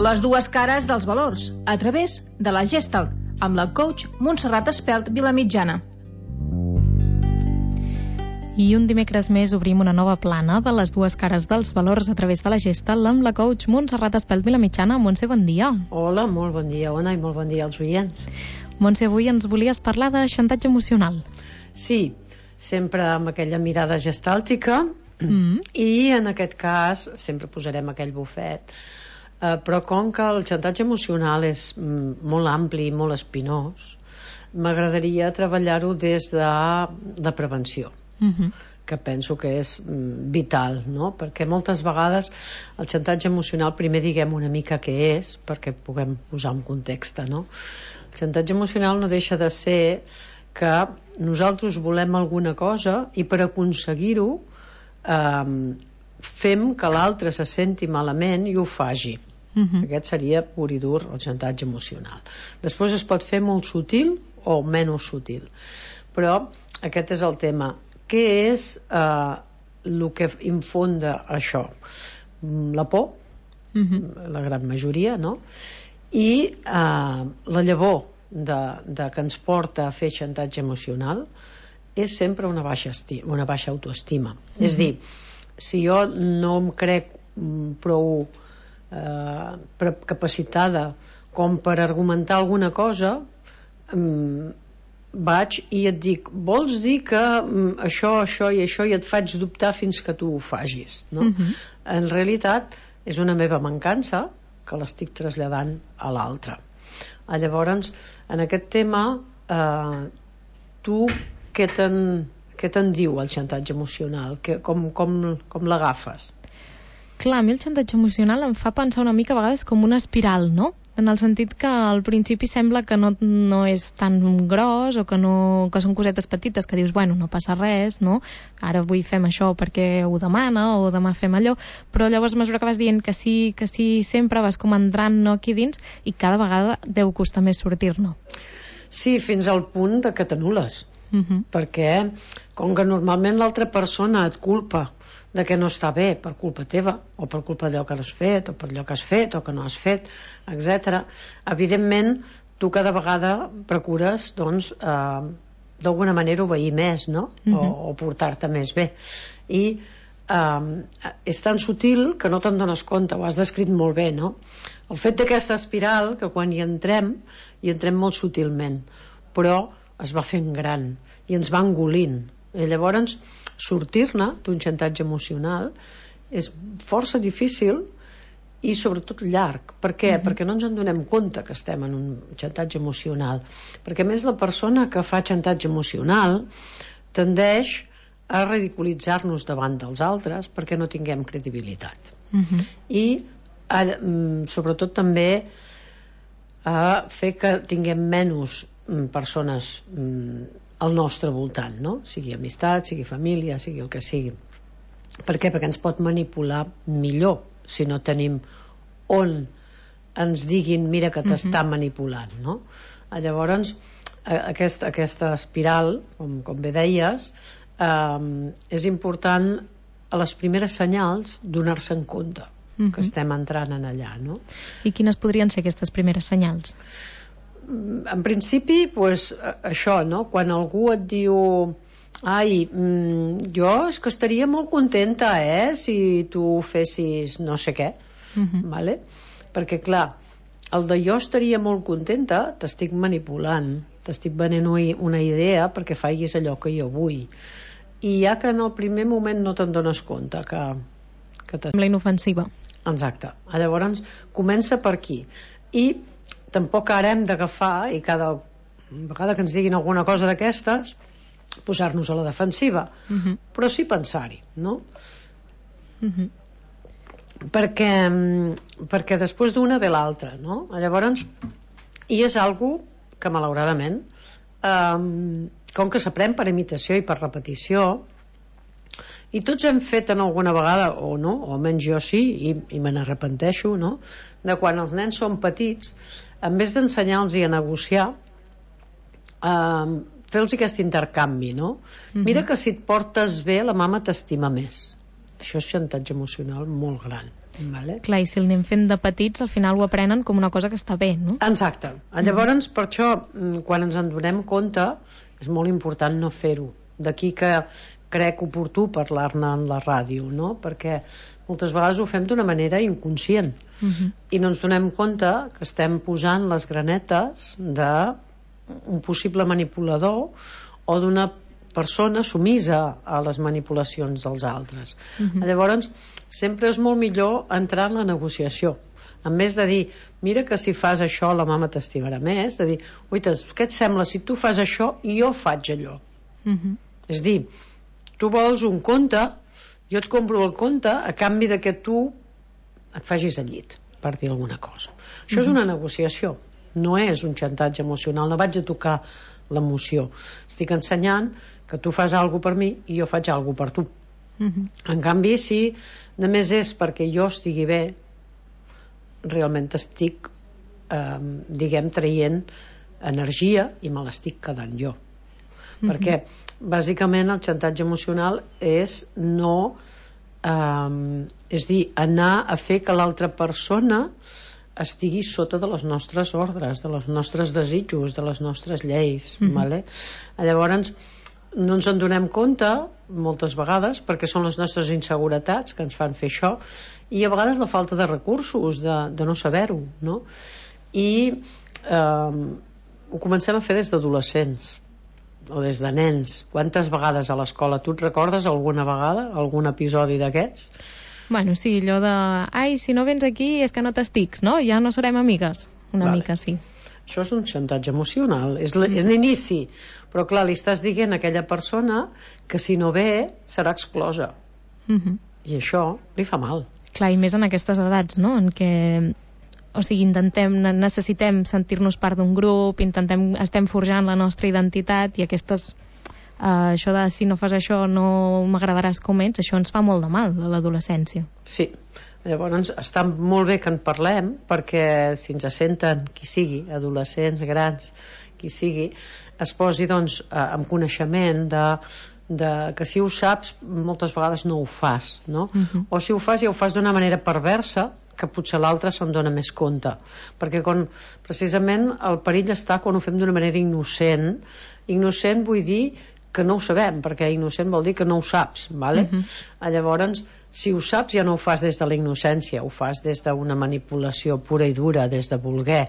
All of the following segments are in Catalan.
Les dues cares dels valors, a través de la Gestalt, amb la coach Montserrat Espelt Vilamitjana. I un dimecres més obrim una nova plana de les dues cares dels valors a través de la Gestalt amb la coach Montserrat Espelt Vilamitjana. Montse, bon dia. Hola, molt bon dia, Ona, i molt bon dia als oients. Montse, avui ens volies parlar de xantatge emocional. Sí, sempre amb aquella mirada gestàltica i en aquest cas sempre posarem aquell bufet. Però com que el xantatge emocional és molt ampli i molt espinós, m'agradaria treballar-ho des de prevenció, que penso que és vital, no? Perquè moltes vegades el xantatge emocional, primer diguem una mica què és, perquè puguem posar un context, no? El xantatge emocional no deixa de ser que nosaltres volem alguna cosa i per aconseguir-ho fem que l'altre se senti malament i ho faci. Aquest seria pur i dur el xantatge emocional. Després es pot fer molt sutil o menys sutil, però aquest és el tema. Què és el que infonda això? La por, la gran majoria, no? I la llavor que ens porta a fer xantatge emocional és sempre una baixa autoestima. És dir, si jo no em crec prou capacitada com per argumentar alguna cosa, vaig i et dic, vols dir que això i això, i et faig dubtar fins que tu ho facis, no? En realitat és una meva mancança que l'estic traslladant a l'altre. Llavors, en aquest tema tu què te'n diu el xantatge emocional? Com l'agafes? Clar, a mi el xantatge emocional em fa pensar una mica a vegades com una espiral, no? En el sentit que al principi sembla que no és tan gros o que són cosetes petites que dius, bueno, no passa res, no? Ara avui fem això perquè ho demana o demà fem allò, però llavors a mesura que vas dient que sí, sempre vas com entrant, no, aquí dins, i cada vegada deu costar més sortir-ne. Sí, fins al punt de que t'anules, perquè com que normalment l'altra persona et culpa de que no està bé per culpa teva o per culpa d'allò que has fet o per allò que has fet o que no has fet, etc. Evidentment tu cada vegada procures doncs d'alguna manera obeir més, no? O portar-te més bé, i és tan sutil que no te'n dones compte. Ho has descrit molt bé, no? El fet d'aquesta espiral, que quan hi entrem molt sutilment, però es va fent gran i ens va engolint, i llavors sortir-ne d'un xantatge emocional és força difícil i sobretot llarg. Per què? Perquè no ens en donem compte que estem en un xantatge emocional, perquè a més la persona que fa xantatge emocional tendeix a ridiculitzar-nos davant dels altres perquè no tinguem credibilitat, i sobretot també a fer que tinguem menys persones al nostre voltant, no? Sigui amistat, sigui família, sigui el que sigui. Per què? Perquè ens pot manipular millor si no tenim on ens diguin mira que t'està manipulant, no? Llavors aquesta espiral, com bé deies, és important a les primeres senyals donar-se en compte que estem entrant en allà, no? I quines podrien ser aquestes primeres senyals? En principi, doncs, això, no? Quan algú et diu jo és que estaria molt contenta si tu fessis no sé què, vale? Perquè clar, el de jo estaria molt contenta t'estic manipulant, t'estic venent una idea perquè facis allò que jo vull, i ja que en el primer moment no te'n dones compte que sembla inofensiva. Exacte. Llavors comença per aquí, i tampoc ara hem d'agafar i cada vegada que ens diguin alguna cosa d'aquestes posar-nos a la defensiva, però sí pensar-hi, no? Perquè després d'una ve l'altra, no? Llavors, i és algo que malauradament com que s'aprèn per imitació i per repetició, i tots hem fet en alguna vegada o no, o almenys jo sí, i me n'arrepenteixo, no? De quan els nens són petits, en vez d'ensenyar-los a negociar, fer-los aquest intercanvi, no? Mira que si et portes bé la mama t'estima més, Això és xantatge emocional molt gran. Vale? Clar, i si el anem fent de petits, al final ho aprenen com una cosa que està bé, no? Exacte. Llavors, per això, quan ens en donem compte, és molt important no fer-ho. D'aquí que crec oportú parlar-ne en la ràdio, no? Perquè moltes vegades ho fem d'una manera inconscient i no ens donem compte que estem posant les granetes d'un possible manipulador o d'una persona sumisa a les manipulacions dels altres. Llavors, sempre és molt millor entrar en la negociació. En més de dir, mira que si fas això la mama t'estimarà més, de dir, oita, què et sembla si tu fas això i jo faig allò? És dir, tu vols un conte, jo et compro el conte a canvi de que tu et facis al llit, per dir alguna cosa. Això és una negociació, no és un xantatge emocional, no vaig a tocar l'emoció. Estic ensenyant que tu fas alguna per mi i jo faig alguna per tu. En canvi, si només és perquè jo estigui bé, realment estic, diguem, traient energia i me l'estic quedant jo. Perquè, bàsicament, el xantatge emocional és no... és dir, anar a fer que l'altra persona estigui sota de les nostres ordres, de els nostres desitjos, de les nostres lleis. Vale? Llavors, no ens en donem compte moltes vegades perquè són les nostres inseguretats que ens fan fer això i a vegades la falta de recursos de no saber-ho, no? I ho comencem a fer des d'adolescents o des de nens. Quantes vegades a l'escola? Tu et recordes alguna vegada algun episodi d'aquests? Bueno, sí, allò de ai, si no vens aquí és que no t'estic, no? Ja no serem amigues. Una mica, sí. Això és un xantatge emocional, és l'inici, però clar, li estàs dient a aquella persona que si no ve serà exclosa. I això li fa mal. Clar, i més en aquestes edats, no? En què, o sigui, necessitem sentir-nos part d'un grup, estem forjant la nostra identitat i aquestes... això de si no fas això no m'agradaràs com ets, això ens fa molt de mal a l'adolescència. Sí, llavors està molt bé que en parlem perquè si ens senten qui sigui, adolescents, grans, qui sigui, es posi doncs amb coneixement de que si ho saps moltes vegades no ho fas, no? O si ho fas ja ho fas d'una manera perversa que potser l'altre se'n dona més compte, perquè precisament el perill està quan ho fem d'una manera innocent. Vull dir que no ho sabem, perquè innocent vol dir que no ho saps, vale? Llavors, si ho saps ja no ho fas des de la innocència, ho fas des d'una manipulació pura i dura, des de voler,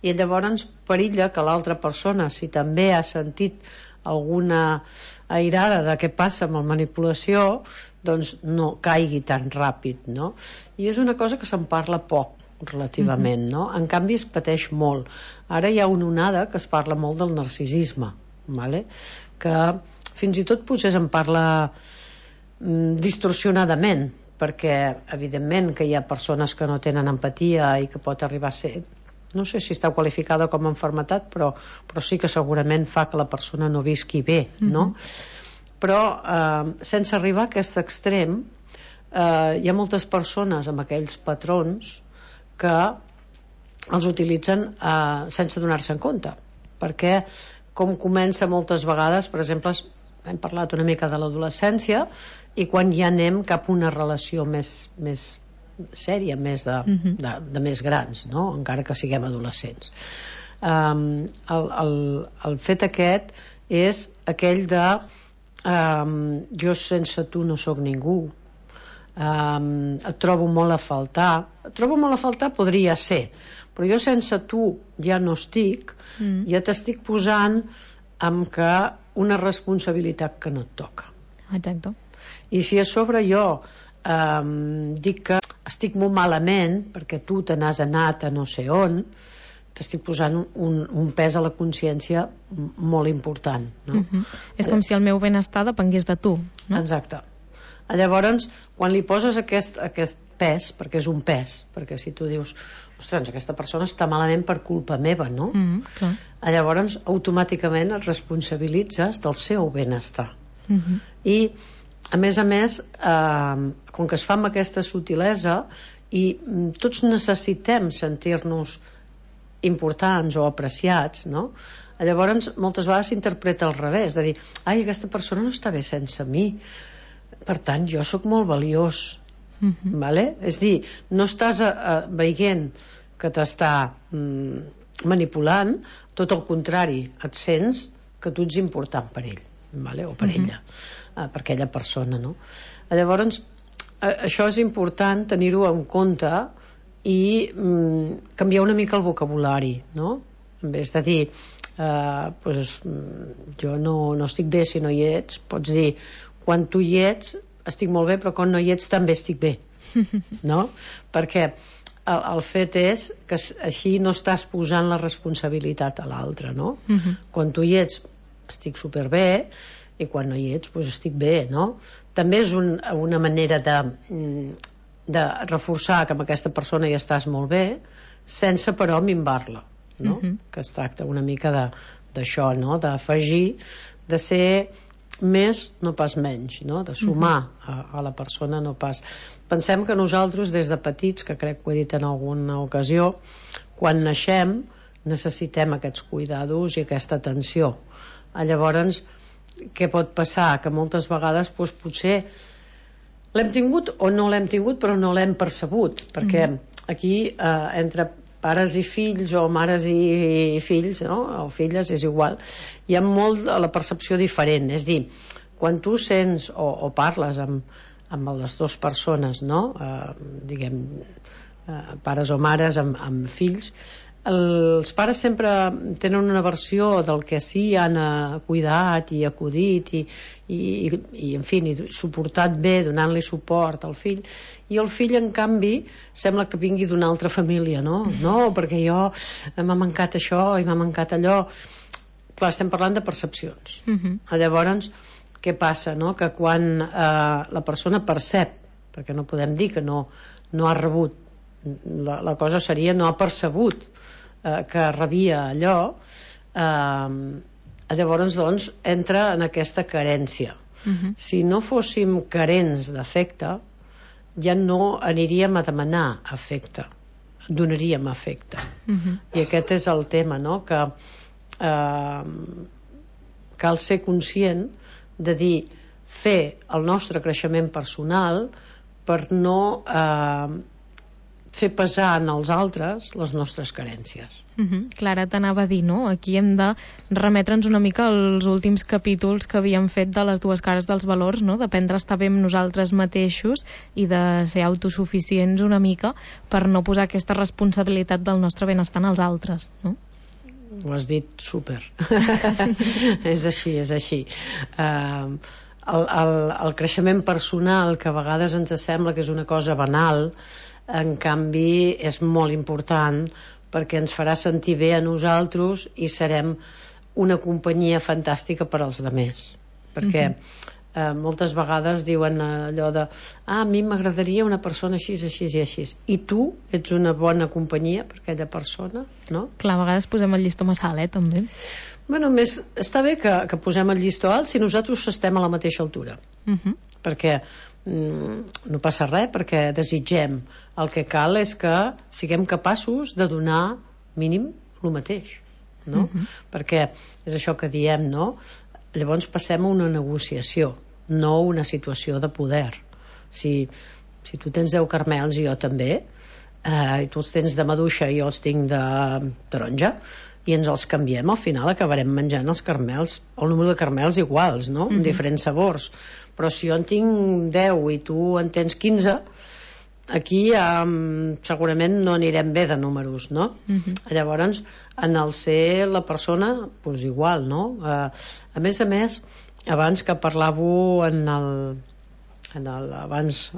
i llavors perilla que l'altra persona, si també ha sentit alguna airada de què passa amb la manipulació, doncs no caigui tan ràpid, no? I és una cosa que se'n parla poc relativament, no? En canvi es pateix molt. Ara hi ha una onada que es parla molt del narcisisme, vale? Que fins i tot potser se'n parla distorsionadament, perquè evidentment que hi ha persones que no tenen empatia i que pot arribar a ser, no sé si està qualificada com a malaltia, però sí que segurament fa que la persona no visqui bé, no? Però sense arribar a aquest extrem hi ha moltes persones amb aquells patrons que els utilitzen sense donar-se en compte, perquè com comença moltes vegades, per exemple, hem parlat una mica de l'adolescència i quan ja anem cap a una relació més sèria, més de més grans, no? Encara que siguem adolescents. El fet aquest és aquell de jo sense tu no sóc ningú, et trobo molt a faltar, podria ser, però jo sense tu ja no estic, ja t'estic posant amb que una responsabilitat que no et toca. Exacte. I si a sobre jo dic que estic molt malament perquè tu te n'has anat a no sé on, t'estic posant un pes a la consciència molt important, no? És com si el meu benestar depengués de tu, no? Exacte. Llavors, quan li poses aquest pes, perquè és un pes, perquè si tu dius, ostres, aquesta persona està malament per culpa meva, no? Llavors, automàticament et responsabilitzes del seu benestar. I, a més, com que es fa amb aquesta sutilesa i tots necessitem sentir-nos importants o apreciats, no? Llavors, moltes vegades s'interpreta al revés, de dir, ai, aquesta persona no està bé sense mi, Per tant, jo sóc molt valiós. Vale? És dir, no estàs veient que t'està manipulant, tot el contrari, et sents que tu ets important per ell, vale? O per ella, per aquella persona, no? Llavors, això és important tenir-ho en compte i canviar una mica el vocabulari, no? En vez de dir pues, jo no estic bé si no hi ets, pots dir quan tu hi ets estic molt bé, però quan no hi ets també estic bé, no? Perquè el fet és que així no estàs posant la responsabilitat a l'altre, no? Quan tu hi ets estic superbé i quan no hi ets doncs estic bé, no? També és una manera de reforçar que amb aquesta persona hi estàs molt bé sense però minvar-la, no? Que es tracta una mica d'això, no? D'afegir, de ser més, no pas menys, no? De sumar a la persona, no pas. Pensem que nosaltres des de petits, que crec que ho he dit en alguna ocasió, quan naixem necessitem aquests cuidados i aquesta atenció. Llavors, què pot passar? Que moltes vegades doncs, potser l'hem tingut o no l'hem tingut però no l'hem percebut, perquè aquí entre pares i fills o mares i fills, no? O filles, és igual, hi ha molt la percepció diferent. És dir, quan tu sents o parles amb les dues persones, no? Diguem, pares o mares amb fills, els pares sempre tenen una versió del que sí han cuidat i acudit i en fi, suportat bé, donant-li suport al fill, i el fill en canvi sembla que vingui d'una altra família, no? No, perquè jo m'ha mancat això i m'ha mancat allò. Clar, estem parlant de percepcions. Llavors, què passa, no? Que quan la persona percep, perquè no podem dir que no ha rebut, la cosa seria no ha percebut que rebia allò, llavors doncs entra en aquesta carència. Si no fóssim carents d'afecte, ja no aniríem a demanar afecte, donaríem afecte. I aquest és el tema, no? Que cal ser conscient de dir, fer el nostre creixement personal per no fer pesar en els altres les nostres carències. Clara, t'anava a dir, no? Aquí hem de remetre'ns una mica als últims capítols que havíem fet de les dues cares dels valors, no? D'aprendre a estar bé amb nosaltres mateixos i de ser autosuficients una mica per no posar aquesta responsabilitat del nostre benestar als altres, no? Ho has dit súper. És així, és així. El creixement personal, que a vegades ens sembla que és una cosa banal, en canvi és molt important perquè ens farà sentir bé a nosaltres i serem una companyia fantàstica per als altres, perquè moltes vegades diuen allò de a mi m'agradaria una persona així, així i així, i tu ets una bona companyia per aquella persona, no? Clar, a vegades posem el llistó massa alt, també. Bueno, més, està bé que posem el llistó alt si nosaltres estem a la mateixa altura, perquè no passa res, perquè desitgem. El que cal és que siguem capaços de donar mínim el mateix, no? Perquè és això que diem, no? Llavors passem a una negociació, no una situació de poder. Si tu tens 10 caramels i jo també, i tu els tens de maduixa i jo els tinc de taronja, i ens els canviem, al final acabarem menjant els caramels, el número de caramels iguals, no? Amb diferents sabors. Però si jo en tinc 10 i tu en tens 15, aquí segurament no anirem bé de números, no? Llavors, en el ser la persona, doncs igual, no? A més, abans que parlàveu abans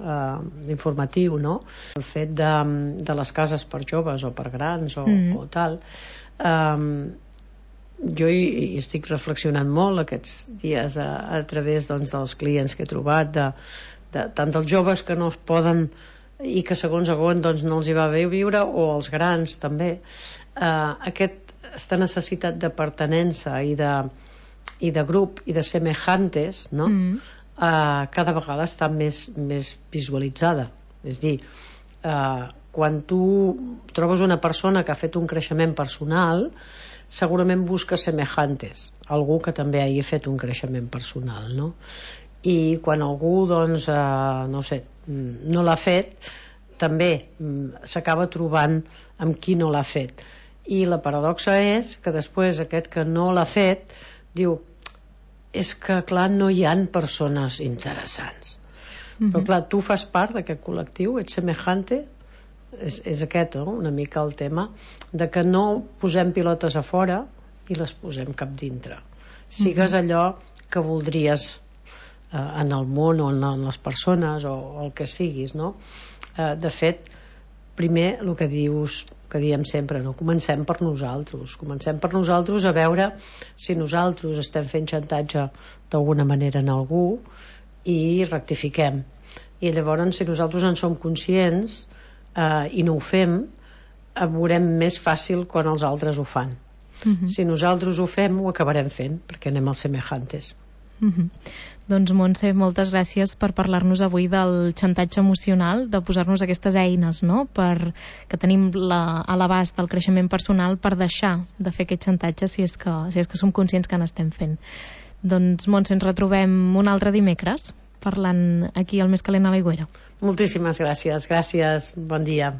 informatiu, no? El fet de les cases per joves o per grans o tal, jo hi estic reflexionant molt aquests dies a través doncs, dels clients que he trobat tant dels joves que no es poden i que segons doncs, no els hi va bé viure, o els grans també, aquesta necessitat de pertinença i de grup i de semejantes, no? Cada vegada està més visualitzada. És dir, quan tu trobes una persona que ha fet un creixement personal, segurament busca semejantes, algú que també hagi fet un creixement personal, no? i quan algú doncs, no sé, no l'ha fet, també s'acaba trobant amb qui no l'ha fet, i la paradoxa és que després aquest que no l'ha fet diu, és que clar, no hi han persones interessants. Però clar, tu fas part d'aquest col·lectiu, ets semejante, és aquest, no? Una mica el tema de que no posem pilotes a fora i les posem cap dintre. Sigues allò que voldries en el món o en les persones o el que siguis, no? De fet, primer el que dius, que diem sempre, no? Comencem per nosaltres a veure si nosaltres estem fent xantatge d'alguna manera en algú i rectifiquem, i llavors si nosaltres en som conscients i no ho fem, veurem més fàcil quan els altres ho fan. Si nosaltres ho fem, ho acabarem fent, perquè anem als semejantes. Doncs Montse, moltes gràcies per parlar-nos avui del xantatge emocional, de posar-nos aquestes eines, no?, que tenim a l'abast del creixement personal per deixar de fer aquest xantatge si és que som conscients que n'estem fent. Doncs Montse, ens retrobem un altre dimecres parlant aquí al Més Calent a l'Aigüera. Moltíssimes gràcies, bon dia.